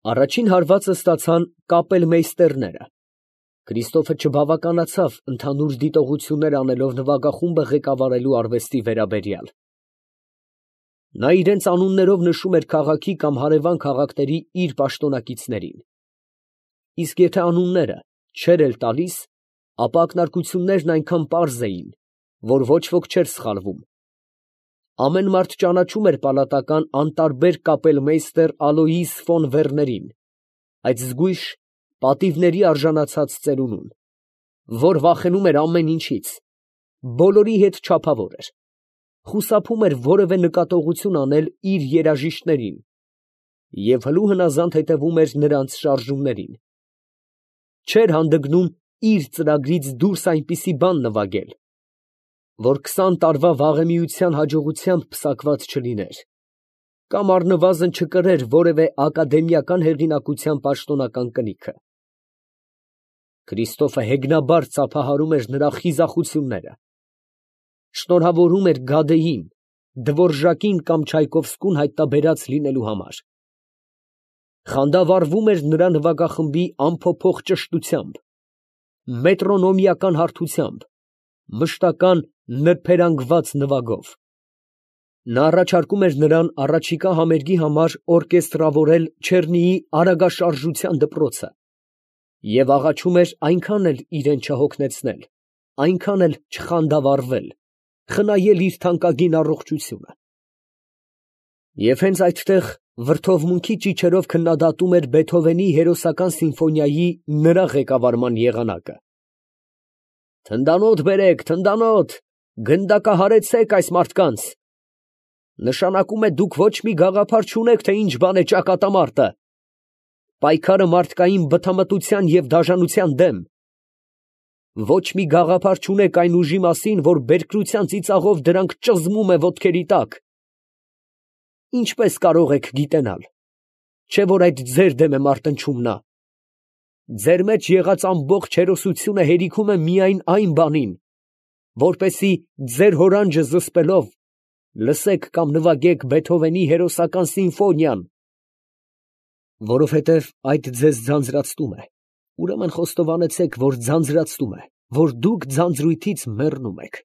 Առաջին հարվածը ստացան կապելմեյստերները։ Քրիստոֆը չբավականացավ ընդհանուր դիտողություններ անելով նվագախումբը ղեկավարելու արվեստի վերաբերյալ։ Նա իրենց անուններով նշում էր քաղաքի կամ հարևան քաղաքների իր պաշտոնակիցներին։ Իսկ եթե անունները չէր էլ տալիս, ապա ակնարկություններն այնքան պարզ էին, որ ոչ ոք չէր սխալվում։ Ամեն մարդ ճանաչում էր պալատական անտարբեր կապելմեյստեր Ալոյիս ֆոն Վերներին, այդ զգույշ պատիվների արժանացած ծերունուն, որ վախենում էր ամեն ինչից, բոլորի հետ չափավոր էր, խուսափում էր որևէ նկատողություն անել իր երաժիշտներին և հլու հնազանդ հետևում էր նրանց շարժումներին, չէր հանդգնում իր ծրագրից դուրս այնպիսի բան նվագել, որ 20 տարվա վաղեմիության հաջողությամբ պսակված չլիներ, կամ առնվազն չկրեր որևէ ակադեմիական հեղինակության պաշտոնական կնիքը։ Քրիստոֆը հեգնաբար ծափահարում էր նրա խիզախությունները, շնորհավորում էր Գադեին, Դվորժակին կամ Չայկովսկուն հայտնաբերած լինելու համար, խանդավառվում էր նրա նվագախմբի անփոփոխ ճշտությամբ, մետրոնոմիական հարթությամբ, մշտական նրբերանգված նվագով։ Նա առաջարկում էր նրան առաջիկա համերգի համար օրկեստրավորել Չեռնիի արագաշարժության դպրոցը և աղաչում էր այնքան էլ իրեն չհոգնեցնել, այնքան էլ չխանդավառվել, խնայել իր թանկագին առողջությունը։ Եվ հենց այդտեղ վրդովմունքի ճիչերով քննադատում էր Բեթհովենի հերոսական սիմֆոնիայի նրա ղեկավարման եղանակը։ «Թնդանոթ բերեք, թնդանոթ, գնդակահարեցեք այս մարդկանց. նշանակում է դուք ոչ մի գաղափար չունեք, թե ինչ բան է ճակատամարտը, պայքարը մարդկային բթամտության և դաժանության դեմ, ոչ մի գաղափար չունեք այն ուժի մասին, որ բերկրության ծիծաղով դրանք ճզմում է ոտքերի տակ։ Ինչպես կարող եք գիտենալ, չէ՞ որ այդ ձեր դեմ է մարտնչում նա։ Ձեր մեջ եղած ամբողջ հերոսությունը հերիքում է միայն այն բանին, որպեսզի ձեր հորանջը զսպելով լսեք կամ նվագեք Բեթհովենի հերոսական սիմֆոնիան, որովհետև այդ ձեզ ձանձրացնում է, ուրեմն խոստովանեցեք, որ ձանձրացնում է, որ դուք ձանձրույթից մեռնում եք։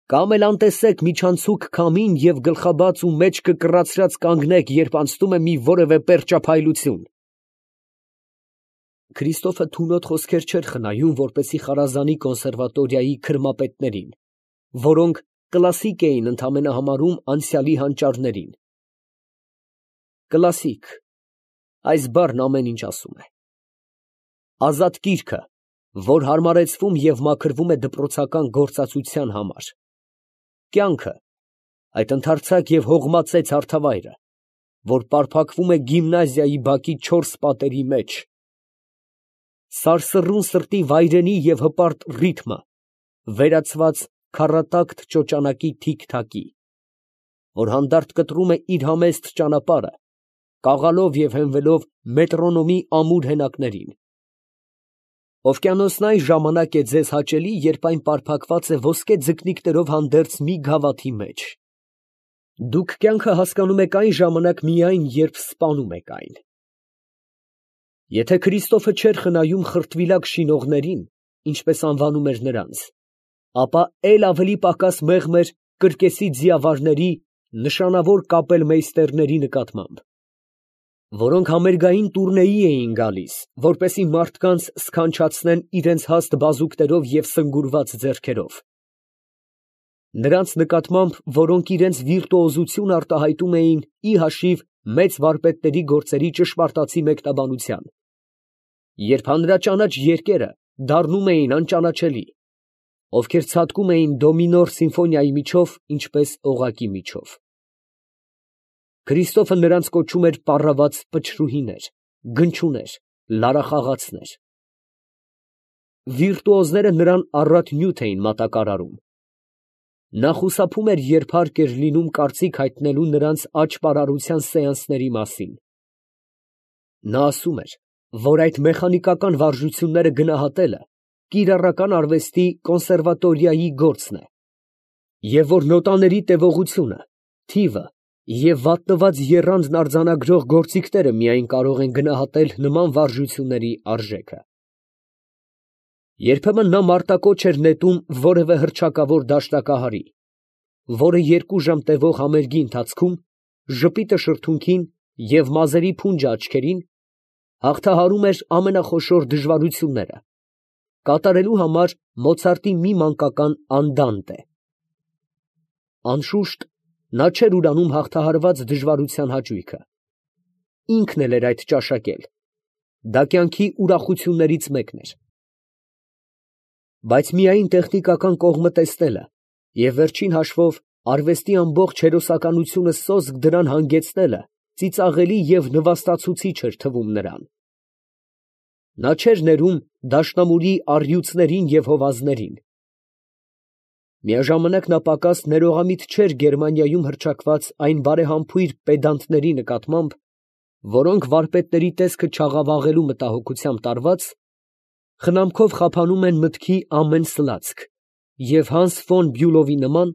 Կամ էլ անտեսեք միջանցուկ քամին և գլխաբաց ու մեջքը կռացրած կանգնեք, երբ անցնում է մի որևէ պերճափայլություն։ Քրիստոֆը թունոտ խոսքեր չէր խնայում, որպեսզի խարազանի կոնսերվատորիայի քրմապետներին, որոնք կլասիկ էին ընդամենը համարում անցյալի հանճարներին։ Կլասիկ, այս բառն ամեն ինչ ասում է։ Ազատ գիրքը, որ հարմարեցվում և մաքրվում է դպրոցական գործածության համար։ Կյանքը, այդ ընդարձակ և հողմածեց հարթավայրը, որ պարփակվում է գիմնազիայի բակի 4 պատերի մեջ։ Սարսռուն սրտի վայրենի և հպարտ ռիթմը, վերացված քառատակտ ճոճանակի թիք֊թակի, որ հանդարտ կտրում է իր համեստ ճանապարհը, կաղալով և հենվելով մետրոնոմի ամուր հենակներին։ Օվկիանոսնային ժամանակ է ձեզ հաճելի, երբ այն պարփակված է ոսկե ձկնիկներով հանդերձ մի գավաթի մեջ։ Դուք կյանքը հասկանում եք այն ժամանակ միայն, երբ սպանում եք այն։ Եթե Քրիստոֆը չէր խնայում խրտվիլակ շինողներին, ինչպես անվանում էր նրանց, ապա էլ ավելի պակաս մեղմ էր կրկեսի ձիավարների, նշանավոր կապելմեյստերների նկատմամբ, որոնք համերգային տուրնեի էին գալիս, որպեսզի մարդկանց սքանչացնեն իրենց հաստ բազուկներով և սնգուրված ձեռքերով։ Նրանց նկատմամբ, որոնք իրենց վիրտուոզությունը արտահայտում էին ի հաշիվ մեծ վարպետների գործերի ճշմարտացի մեկնաբանության, երբ հանրաճանաչ երկերը դառնում էին անճանաչելի, ովքեր ցատկում էին դո մինոր սիմֆոնիայի միջով, ինչպես օղակի միջով։ Քրիստոֆը նրանց կոչում էր պառաված պչրուհիներ, գնչուներ, լարախաղացներ։ Վիրտուոզները նրան առատ նյութ էին մատակարարում։ Նա խուսափում էր, երբ հարկ էր լինում կարծիք հայտնելու նրանց աճպարարության սեանսների մասին։ Նա ասում էր, որ այդ մեխանիկական վարժությունները գնահատելը կիրառական արվեստի կոնսերվատորիայի գործն է, և որ նոտաների տևողությունը, թիվը Եվ վատնված եռանդն արձանագրող գործիքները միայն կարող են գնահատել նման վարժությունների արժեքը։ Երբեմն նա մարտակոչ էր նետում որևէ հռչակավոր դաշնակահարի, որը 2 ժամ տևող համերգի ընթացքում ժպիտը շրթունքին և մազերի փունջը աչքերին հաղթահարում էր ամենախոշոր դժվարությունները, կատարելու համար Մոցարտի մի մանկական անդանտե։ Անշուշտ, նա չէր ուրանում հաղթահարված դժվարության հաճույքը. ինքն էլ էր այդ ճաշակել, դա կյանքի ուրախություններից մեկն էր։ Բայց միայն տեխնիկական կողմը տեսնելը և վերջին հաշվով արվեստի ամբողջ հերոսականությունը սոսկ դրան հանգեցնելը ծիծաղելի և նվաստացուցիչ էր թվում նրան։ Նա չէր ներում դաշնամուրի առյուծներին և հովազներին։ Միաժամանակ նա պակաս ներողամիտ չէր Գերմանիայում հռչակված այն բարեհամբույր պեդանտների նկատմամբ, որոնք վարպետների տեսքը չաղավաղելու մտահոգությամբ տարված, խնամքով խափանում են մտքի ամեն սլացք և Հանս ֆոն Բյուլովի նման,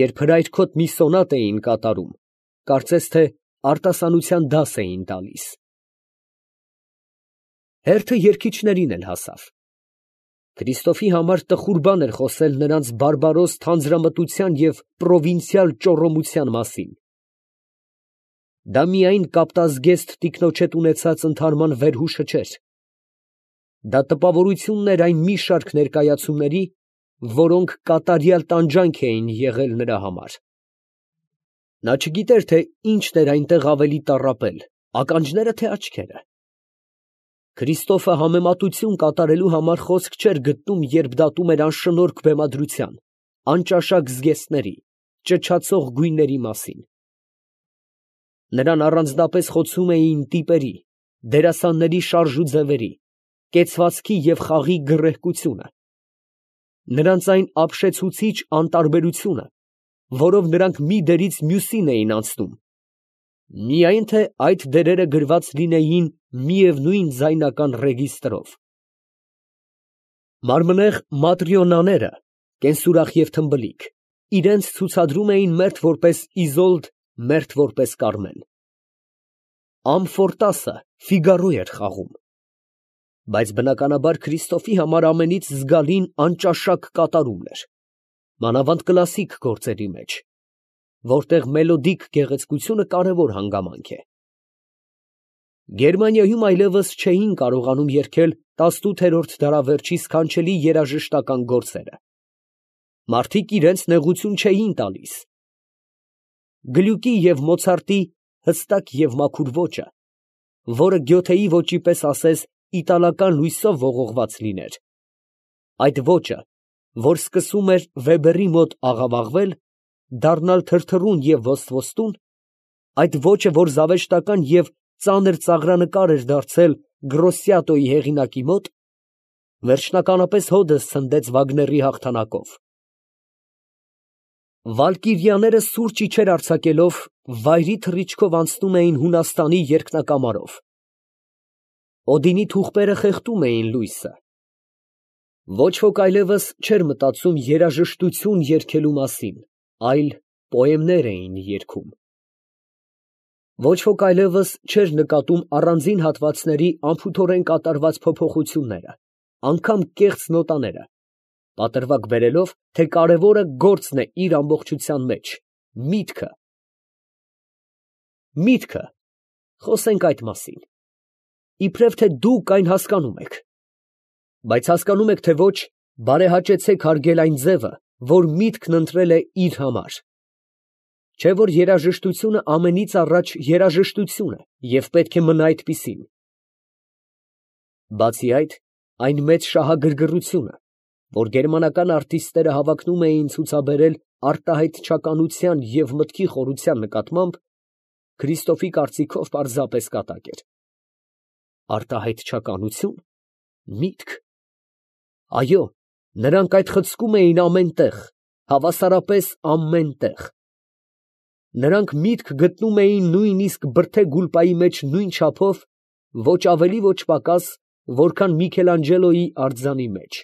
երբ հրայրքոտ մի սոնատ էին կատարում, կարծես թե արտասանության դաս էին տալիս։ Հերթը երգիչներին էլ հասավ։ Քրիստոֆի համար տխուր բան էր խոսել նրանց բարբարոս թանձրամտության և պրովինցիալ ճոռոմության մասին։ Դա միայն կապտազգեստ տիկնոջդ ունեցած ընդհարման վերհուշը չէր. դա տպավորությունն էր այն մի շարք ներկայացումների, որոնք կատարյալ տանջանք էին եղել նրա համար։ Նա չգիտեր, թե ինչն էր այնտեղ ավելի տառապել, ականջնե՞րը, թե աչքերը։ Քրիստոֆը համեմատություն կատարելու համար խոսք չէր գտնում, երբ դատում էր անշնորհք բեմադրության, անճաշակ զգեստների, ճչացող գույների մասին։ Նրան առանձնապես խոցում էին տիպերի, դերասանների շարժ ու ձևերի, կեցվածքի և խաղի գռեհկությունը, նրանց այն ապշեցուցիչ անտարբերությունը, որով նրանք մի դերից մյուսին էին անցնում, միայն թե այդ դերերը գրված լինեին միևնույն ձայնական ռեգիստրով։ Մարմնեղ Մատրիոնաները, կենսուրախ և թմբլիկ, իրենց ցուցադրում էին մերթ որպես Իզոլդ, մերթ որպես Կարմեն։ Ամֆորտասը Ֆիգարո էր խաղում։ Բայց բնականաբար Քրիստոֆի համար ամենից զգալին անճաշակ կատարումն էր, մանավանդ կլասիկ գործերի մեջ, որտեղ մելոդիկ գեղեցկությունը կարևոր հանգամանք է։ Գերմանիայում այլևս չէին կարողանում երգել 18-րդ դարավերջի սքանչելի երաժշտական գործերը։ Մարդիկ իրենց նեղություն չէին տալիս։ Գլյուկի և Մոցարտի հստակ և մաքուր ոճը, որը Գյոթեի ոճի պես ասես իտալական լույսով ողողված լիներ, այդ ոճը, որ սկսում էր Վեբերի մոտ աղավաղվել, դառնալ թրթռուն և ոստվոստուն, այդ ոճը, որ զավեշտական և ծանր ծաղրանկար էր դարձել Գրոսիատոյի հեղինակի մոտ, վերջնականապես հօդս ցնդեց Վագների հաղթանակով։ Վալկիրիաները սուրճ իջեր արձակելով վայրի թռիչքով անցնում էին Հունաստանի երկնակամարով։ Օդինի թուղպերը խեղդում էին լույսը։ Ոչ ոք այլևս չէր մտածում երաժշտություն երգելու մասին, այլ պոեմներ էին երգում։ Ոչ ոք այլևս չէր նկատում առանձին հատվածների անփութորեն կատարված փոփոխությունները, անգամ կեղծ նոտաները, պատրվակ բերելով, թե կարևորը գործն է իր ամբողջության մեջ, միտքը։ Միտքը, խոսենք այդ մասին, իբրև թե դուք այն հասկանում եք, բայց հասկանում եք, թե ոչ, բարեհաճեցեք հարգել այն ձևը, որ միտքն ընտրել է իր համար։ Չէ՞ որ երաժշտությունը ամենից առաջ երաժշտություն է և պետք է մնա այդպիսին։ Բացի այդ, այն մեծ շահագրգռությունը, որ գերմանական արտիստները հավակնում էին ցուցաբերել արտահայտչականության և մտքի խորության նկատմամբ, Քրիստոֆի կարծիքով պարզապես կատակ էր։ Արտահայտչականություն, միտք։ Այո, նրանք այդ խցկում էին ամեն տեղ, հավասարապես ամեն տեղ։ Նրանք միտք գտնում էին նույնիսկ բրդե գուլպայի մեջ նույն չափով, ոչ ավելի, ոչ պակաս, որքան Միքելանջելոյի արձանի մեջ։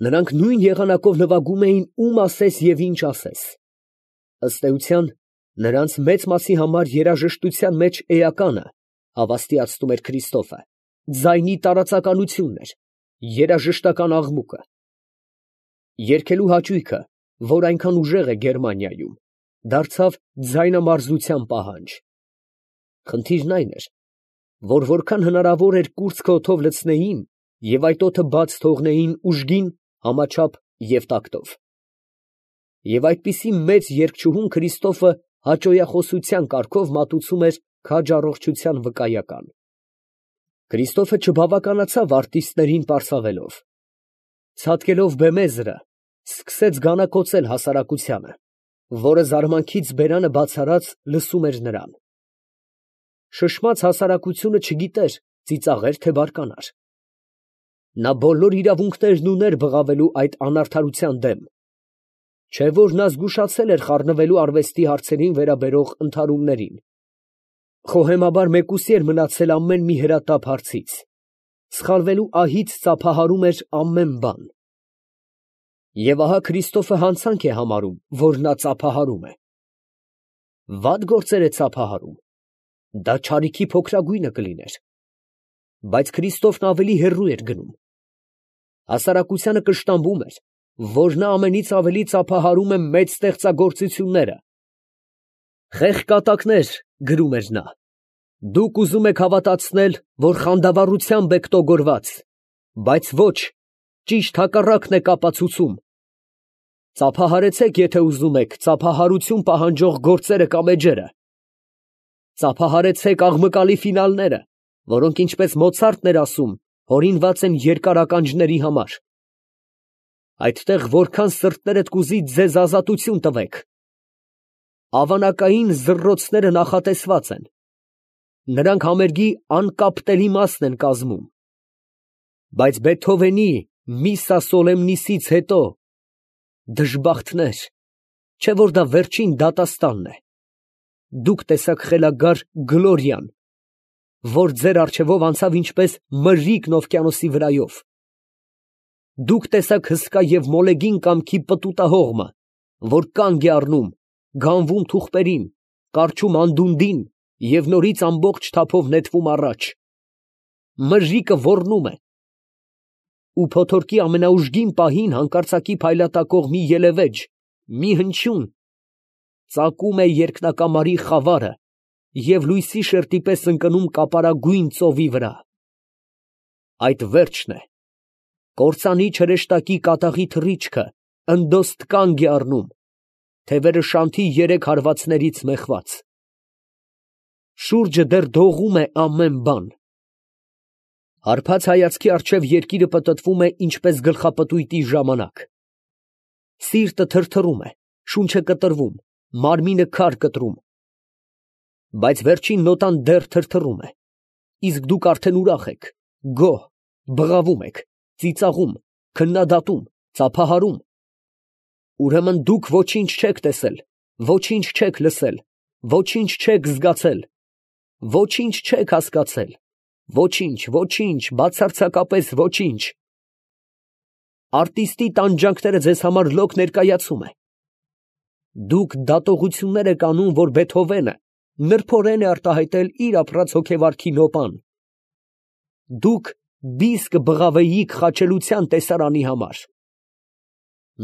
Նրանք նույն եղանակով նվագում էին ում ասես և ինչ ասես։ Ըստ էության, Նրանց մեծ մասի համար երաժշտության մեջ էականը, հավաստիացնում էր Քրիստոֆը, ձայնի տարածականությունն էր, երաժշտական աղմուկը։ Երգելու հաճույքը, որ այնքան ուժեղ է Գերմանիայում, դարձավ ձայնամարզության պահանջ։ Խնդիրն այն էր, որ որքան հնարավոր էր կուրծքը օդով լցնեին և այդ օդը բաց թողնեին ուժգին, համաչափ և տակտով։ Եվ այդպիսի մեծ երգչուհուն Քրիստոֆը հաճոյախոսության կարգով մատուցում էր քաջ առողջության վկայական։ Քրիստոֆը չբավականացավ արտիստներին պարսավելով։ Ցատկելով բեմեզրը, սկսեց գանակոծել հասարակությանը, որը զարմանքից բերանը բացառած լսում էր նրան։ Շշմած հասարակությունը չգիտեր ծիծաղեր, թե բարկանար։ Նա բոլոր իրավունքներն ուներ բղավելու այդ անարդարության դեմ, չէ՞ որ նա զգուշացել էր խառնվելու արվեստի հարցերին վերաբերող ընդհարումներին, խոհեմաբար մեկուսի էր մնացել ամեն մի հրատապ հարցից, սխալվելու ահից ծափահարում էր ամեն բան։ Եվ ահա Քրիստոֆը հանցանք է համարում, որ նա ծափահարում է։ Վատ գործեր է ծափահարում, դա չարիքի փոքրագույնը կլիներ, բայց Քրիստոֆն ավելի հեռու էր գնում։ Հասարակությանը կշտամբում էր, որ նա ամենից ավելի ծափահարում է մեծ ստեղծագործությունները։ «Խեղճ կատակներ», գրում էր նա, «դուք ուզում եք հավատացնել, որ խանդավառությամբ եք տոգորված, բայց ոչ, ճիշտ հակառակն եք ապացուցում։ Ծափահարեցեք, եթե ուզում եք, ծափահարություն պահանջող գործերը կամ էջերը։ Ծափահարեցեք աղմկալի ֆինալները, որոնք, ինչպես Մոցարտն էր ասում, հորինված են երկար ականջների համար։ Այդտեղ որքան սրտներդ կուզի ձեզ ազատություն տվեք։ Ավանակային զռռոցները նախատեսված են, նրանք համերգի անկապտելի մասն են կազմում։ Բայց Բեթհովենի Միսսա Սոլեմնիսից հետո, դժբախտներ, չէ՞ որ դա վերջին դատաստանն է, դուք տեսաք խելագար Գլորիան, որ ձեր առջևով անցավ ինչպես մրրիկն օվկիանոսի վրայով։ Դուք տեսաք հսկա և մոլեգին կամքի պտուտահողմը, որ կանգ է առնում, գանվում թուղթերին, կառչում անդունդին և նորից ամբողջ թափով նետվում առաջ։ Մրրիկը ոռնում է, ու փոթորկի ամենաուժգին պահին հանկարծակի փայլատակող մի ելևեջ, մի հնչյուն, ծակում է երկնակամարի խավարը և լույսի շերտի պես ընկնում կապարագույն ծովի վրա։ Այդ վերջն է, կործանի չրեշտակի կատաղի թռիչքը ընդոստ կանգ է առնում, թևերը շանթի երեք հարվածներից մեխված։ Շուրջը դեռ դողում է ամեն բան։ Հարբած հայացքի առջև երկիրը պտտվում է ինչպես գլխապտույտի ժամանակ։ Սիրտը թրթռում է, շունչը կտրվում, մարմինը քար կտրում։ Բայց վերջին նոտան դեռ թրթռում է, իսկ դուք արդեն ուրախ եք, գոհ, բղավում եք, ծիծաղում, քննադատում, ծափահարում։ Ուրեմն դուք ոչինչ չեք տեսել, ոչինչ չեք լսել, ոչինչ չեք զգացել, ոչինչ չեք հասկացել, ոչինչ, բացարձակապես ոչինչ։ Արտիստի տանջանքները ձեզ համար լոկ ներկայացում է։ Դուք դատողություններ եք անում, որ Բեթհովենը նրբորեն է արտահայտել իր ապրած հոգեվարքի նոպան։ Դուք բիս կբղավեիք խաչելության տեսարանի համար։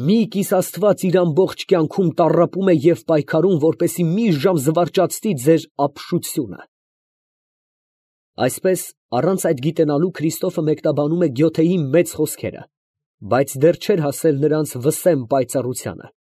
Մի կիս Աստված իր ամբողջ կյանքում տառապում է և պայքարում, որպեսզի մի ժամ զվարճացնի ձեր ապշությունը։ Այսպես, առանց այդ գիտենալու Քրիստոֆը մեկնաբանում է Գյոթեի մեծ խոսքերը, բայց դեռ չէր հասել նրանց վսեմ պայծառությանը։